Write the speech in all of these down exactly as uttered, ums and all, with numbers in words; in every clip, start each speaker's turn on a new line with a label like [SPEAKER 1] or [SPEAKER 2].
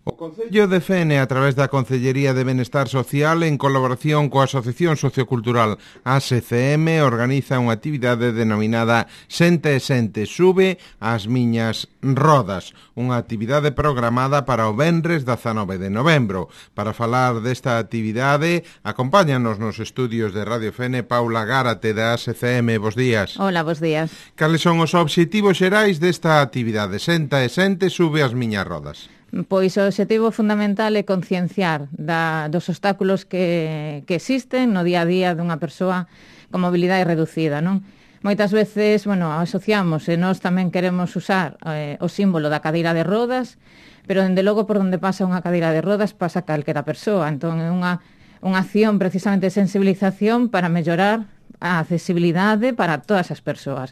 [SPEAKER 1] O Concello de Fene, a través da Concellería de Benestar Social, en colaboración coa Asociación Sociocultural A S C M, organiza unha actividade denominada Xente e Xente sube as miñas rodas, unha actividade programada para o venres dezanove de novembro. Para falar desta actividade, acompáñanos nos estudios de Radio Fene Paula Gárate da A S C M. Bos días.
[SPEAKER 2] Hola, bos días.
[SPEAKER 1] Cales son os obxectivos xerais desta actividade Xente e Xente sube as miñas rodas?
[SPEAKER 2] Pois o obxectivo fundamental é concienciar da, dos obstáculos que, que existen no día a día dunha persoa con mobilidade reducida, non? Moitas veces, bueno, asociamos e nós tamén queremos usar eh, o símbolo da cadeira de rodas, pero dende logo por onde pasa unha cadeira de rodas pasa calquera persoa, entón é unha, unha acción precisamente de sensibilización para mellorar a accesibilidade para todas as persoas,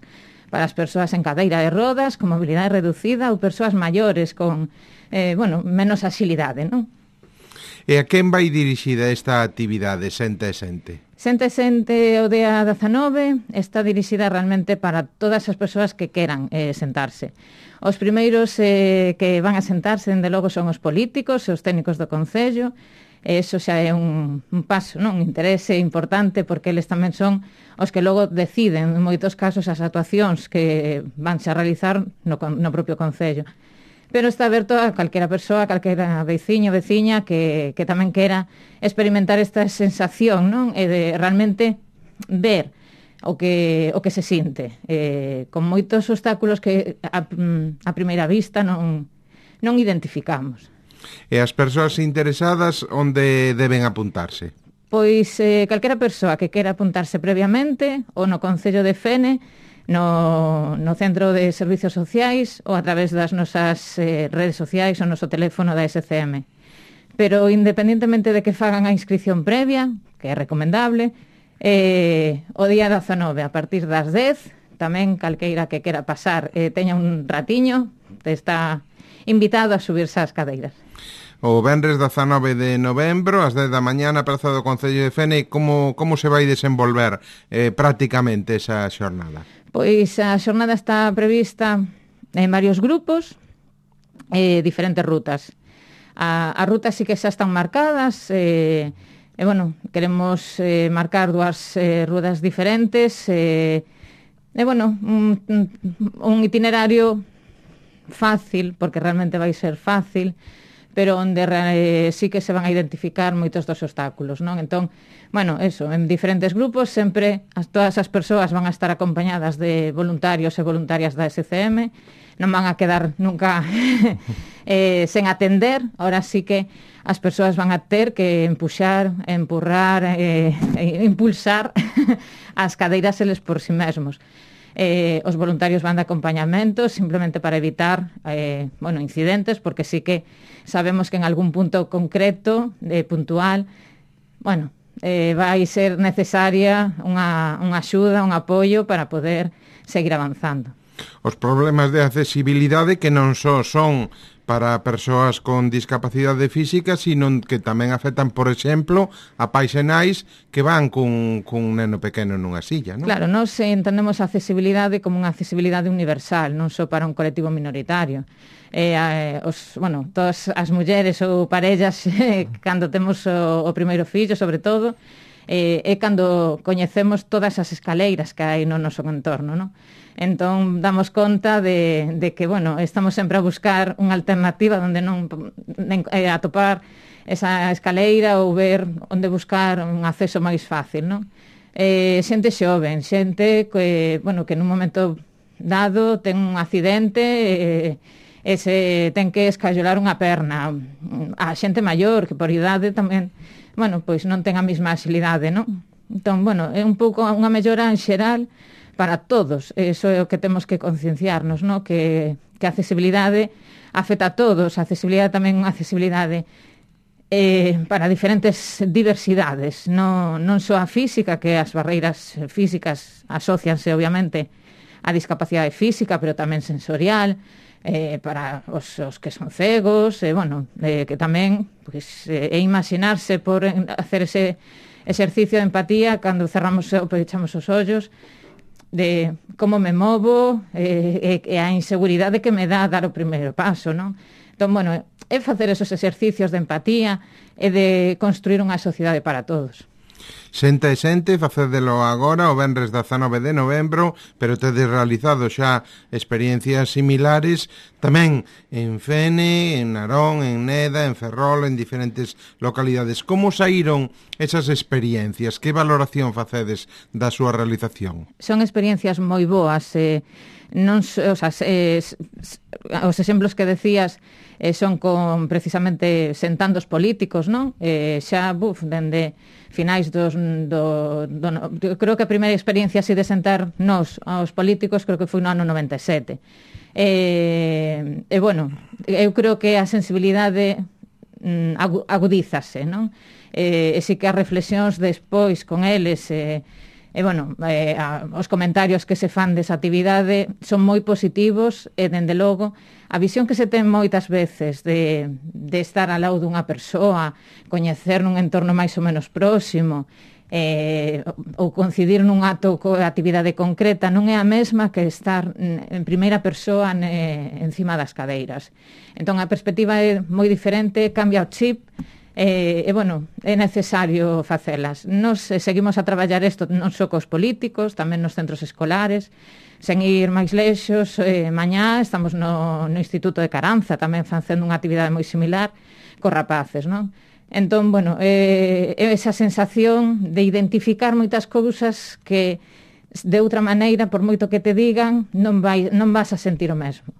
[SPEAKER 2] para as persoas en cadeira de rodas, con mobilidade reducida ou persoas maiores con Eh, bueno, menos axilidade, non?
[SPEAKER 1] E a quen vai dirixida esta actividade, Xente e Xente?
[SPEAKER 2] Xente e Xente o día dezanove está dirixida realmente para todas as persoas que queran eh, sentarse. Os primeiros eh, que van a sentarse, dende logo, son os políticos e os técnicos do Concello. Eso xa é un, un paso, non? Un interese importante, porque eles tamén son os que logo deciden, en moitos casos, as actuacións que vanse a realizar no, no propio Concello. Pero está aberto a calquera persoa, a calquera veciño, veciña que, que tamén quera experimentar esta sensación, non? E de realmente ver o que, o que se sinte, eh, con moitos obstáculos que a, a primeira vista non, non identificamos.
[SPEAKER 1] E as persoas interesadas onde deben apuntarse?
[SPEAKER 2] Pois eh, calquera persoa que quera apuntarse previamente ou no Concello de Fene, No, no Centro de Servicios Sociais ou a través das nosas eh, redes sociais ou noso teléfono da A S C M. Pero independentemente de que fagan a inscripción previa, que é recomendable, eh, o día dezanove a partir das dez, tamén calqueira que quera pasar eh, teña un ratiño, está invitado a subirse ás cadeiras.
[SPEAKER 1] O venres dezanove de novembro, ás dez da mañá na Praza do Concello de Fene, como, como se vai desenvolver eh, prácticamente esa xornada?
[SPEAKER 2] Pois a xornada está prevista en varios grupos, eh, diferentes rutas. A, as rutas sí que xa están marcadas, e, eh, eh, bueno, queremos eh, marcar dúas eh, rutas diferentes, e, eh, eh, bueno, un, un itinerario fácil, porque realmente vai ser fácil, pero onde eh, sí que se van a identificar moitos dos obstáculos, non? Entón, bueno, eso, en diferentes grupos, sempre as, todas as persoas van a estar acompañadas de voluntarios e voluntarias da A S C M, non van a quedar nunca eh, sen atender, ahora sí que as persoas van a ter que empuxar, empurrar, eh, e impulsar as cadeiras eles por si mesmos. Eh, os voluntarios van de acompañamento simplemente para evitar eh, bueno, incidentes, porque sí que sabemos que en algún punto concreto, eh, puntual, bueno, eh, vai ser necesaria unha, unha axuda, un apoio para poder seguir avanzando.
[SPEAKER 1] Os problemas de accesibilidade que non só son para persoas con discapacidade física, sino que tamén afectan, por exemplo, a pais e nais que van cun, cun neno pequeno nunha silla, non?
[SPEAKER 2] Claro, nós entendemos a accesibilidade como unha accesibilidade universal, non só para un colectivo minoritario. Eh, eh, os, bueno, todas as mulleres ou parellas, eh, cando temos o, o primeiro fillo, sobre todo, eh, é cando coñecemos todas as escaleiras que hai no noso entorno, non? Entón, damos conta de, de que, bueno, estamos sempre a buscar unha alternativa onde non eh, atopar esa escaleira ou ver onde buscar un acceso máis fácil, non? Eh, xente xoven, xente que, bueno, que nun momento dado ten un accidente e, e se ten que escallolar unha perna. A xente maior, que por idade tamén, bueno, pois non ten a mesma axilidade, non? Entón, bueno, é un pouco unha mellora en xeral para todos. Eso é o que temos que concienciarnos, ¿no? Que, que a accesibilidade afecta a todos. A accesibilidade tamén é unha accesibilidade eh, para diferentes diversidades, non, non só a física, que as barreiras físicas asocianse, obviamente, a discapacidade física, pero tamén sensorial, eh, para os, os que son cegos, e, eh, bueno, eh, que tamén pues, eh, é imaginarse por hacer ese exercicio de empatía cando cerramos ou pechamos os ollos, de como me movo, eh, e, e a inseguridade que me dá dar o primeiro paso, non? Entón, bueno, é facer esos exercicios de empatía e de construir unha sociedade para todos.
[SPEAKER 1] Senta e Sente, facédelo agora o venres dezanove de novembro, pero tedes realizado xa experiencias similares tamén en Fene, en Narón, en Neda, en Ferrol, en diferentes localidades. Como saíron esas experiencias? Que valoración facedes da súa realización?
[SPEAKER 2] Son experiencias moi boas, eh, non, o sea, eh, os exemplos que decías eh, son con precisamente sentando os políticos, non? Eh, xa, buf, dende finais dos, do, do, do, creo que a primeira experiencia así de sentar nos aos políticos creo que foi no ano noventa e sete. E, e bueno, eu creo que a sensibilidade mm, agudízase, non? E, e si que as reflexións despois con eles e, e bueno, eh, a, os comentarios que se fan desa actividade son moi positivos e, dende logo, a visión que se ten moitas veces de, de estar ao lado dunha persoa, coñecer nun entorno máis ou menos próximo, eh, ou coincidir nun acto coa actividade concreta, non é a mesma que estar en primeira persoa ne, encima das cadeiras. Entón, a perspectiva é moi diferente, cambia o chip, E, e, bueno, é necesario facelas. Nos eh, seguimos a traballar isto non só cos políticos, tamén nos centros escolares, sen ir máis lexos. Eh, mañá estamos no, no Instituto de Caranza, tamén facendo unha actividade moi similar cos rapaces, non? Entón, bueno, é eh, esa sensación de identificar moitas cousas que de outra maneira, por moito que te digan, non, vai, non vas a sentir o mesmo.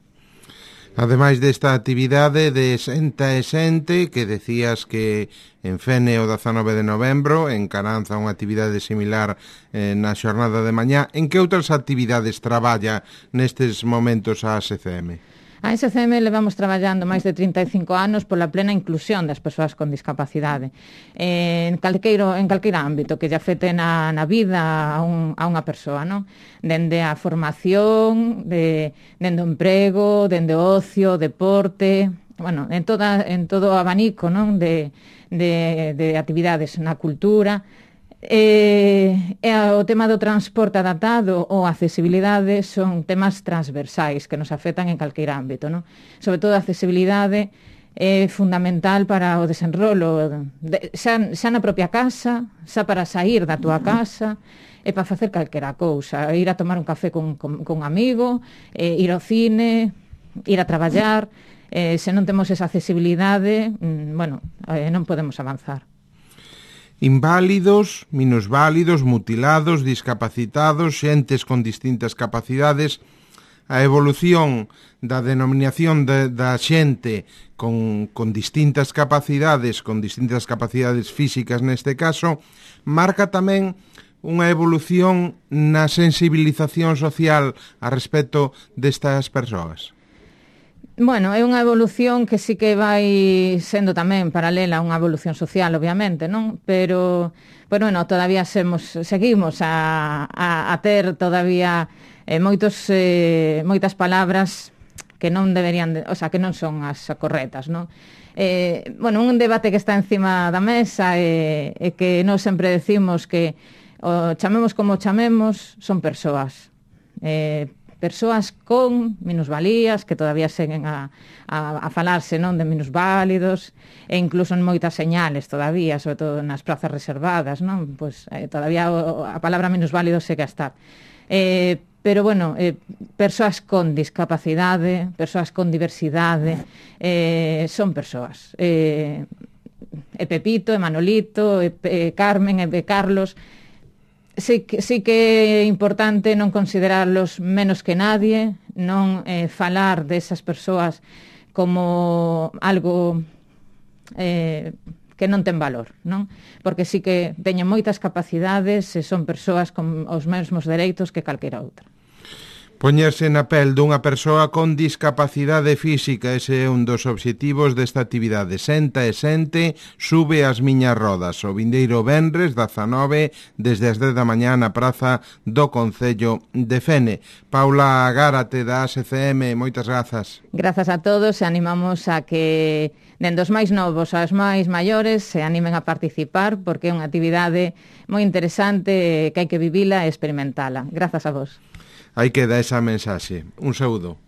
[SPEAKER 1] Ademais desta actividade de Senta e Sente, que decías que en Fene o dezanove de novembro, en Caranza unha actividade similar eh, na xornada de mañá, en que outras actividades traballa nestes momentos a A S C M?
[SPEAKER 2] A S C M levamos traballando máis de trinta e cinco anos pola plena inclusión das persoas con discapacidade en calqueiro, en calqueira ámbito que lle afete na, na vida a, un, a unha persoa, non? Dende a formación, de, dende o emprego, dende o ocio, deporte, bueno, en, toda, en todo o abanico, non? De, de, de actividades na cultura. E, e o tema do transporte adaptado ou accesibilidade son temas transversais que nos afectan en calqueira ámbito, non? Sobre todo a accesibilidade é fundamental para o desenrolo de, xa, xa na propia casa, xa para sair da túa casa e para facer calquera cousa, ir a tomar un café con, con, con un amigo, eh, ir ao cine, ir a traballar. Eh, se non temos esa accesibilidade, mm, bueno, eh, non podemos avanzar.
[SPEAKER 1] Inválidos, minusválidos, mutilados, discapacitados, xentes con distintas capacidades. A evolución da denominación de, da xente con, con distintas capacidades, con distintas capacidades físicas neste caso, marca tamén unha evolución na sensibilización social a respecto destas persoas.
[SPEAKER 2] Bueno, é unha evolución que sí que vai sendo tamén paralela a unha evolución social, obviamente, non? Pero, pero bueno, todavía semos, seguimos a, a, a ter todavía eh, moitos, eh, moitas palabras que non deberían, de, o sea, que non son as correctas, non? Eh, bueno, un debate que está encima da mesa e eh, eh, que nós sempre decimos que o chamemos como chamemos, son persoas. Eh, persoas con minusvalías que todavía seguen a, a, a falarse, non, de minusválidos e incluso en moitas señales todavía, sobre todo nas prazas reservadas, non? Pois eh, todavía o, a palabra minusválido segue a estar. Eh, pero bueno, eh, persoas con discapacidade, persoas con diversidade, eh, son persoas. Eh, e Pepito, e Manolito, e, e Carmen, e Carlos. Sí que, sí que é importante non considerarlos menos que nadie, non eh, falar desas persoas como algo eh, que non ten valor, non? Porque sí que teñen moitas capacidades e son persoas con os mesmos dereitos que calquera outra.
[SPEAKER 1] Poñerse na pel dunha persoa con discapacidade física, ese é un dos obxectivos desta actividade. Senta e Sente, sube as miñas rodas. O vindeiro venres, dezanove, desde as dez da mañá na praza do Concello de Fene. Paula Gárate, da A S C M, moitas grazas.
[SPEAKER 2] Grazas a todos e animamos a que dende os máis novos aos máis maiores se animen a participar porque é unha actividade moi interesante que hai que vivila e experimentala. Grazas a vos.
[SPEAKER 1] Aí queda esa mensaxe. Un saúdo.